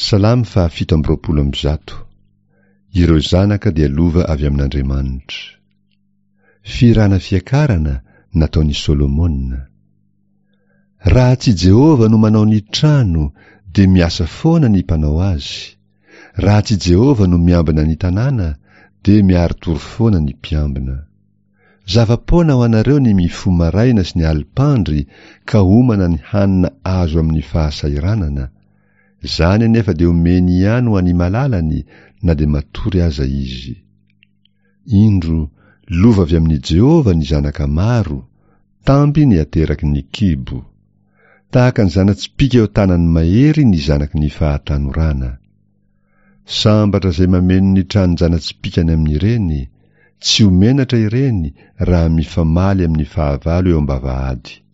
Salamo faha 127. Ireo zanaka dia lova avy amin'Andriamanitra. Fihirana fiakarana nataon'i Solomona. Raha tsy Jehovah no manao ny trano, dia miasa foana ny mpanao azy. Raha tsy Jehovah no miambina ny tanàna, dia miari-tory foana ny mpiambina. Zava-poana ho anareo ny mifoha maraina sy ny alim-pandry ka homana ny hanina azo amin'ny fahasahiranana. Izany anefa dia omeny ihany ho an'ny malalany na dia matory aza izy. Indro, lova avy amin'i Jehovah ny zanaka maro, tamby ny ateraky ny kibo. Tahaka ny zana-tsipìka eo an-tanan'ny mahery ny zanaky ny fahatanorana. Sambatra izay mameno ny tranon-jana-tsipìkany amin'ireny, tsy ho menatra ireny raha mifamaly amin'ny fahavalo eo am-bavahady.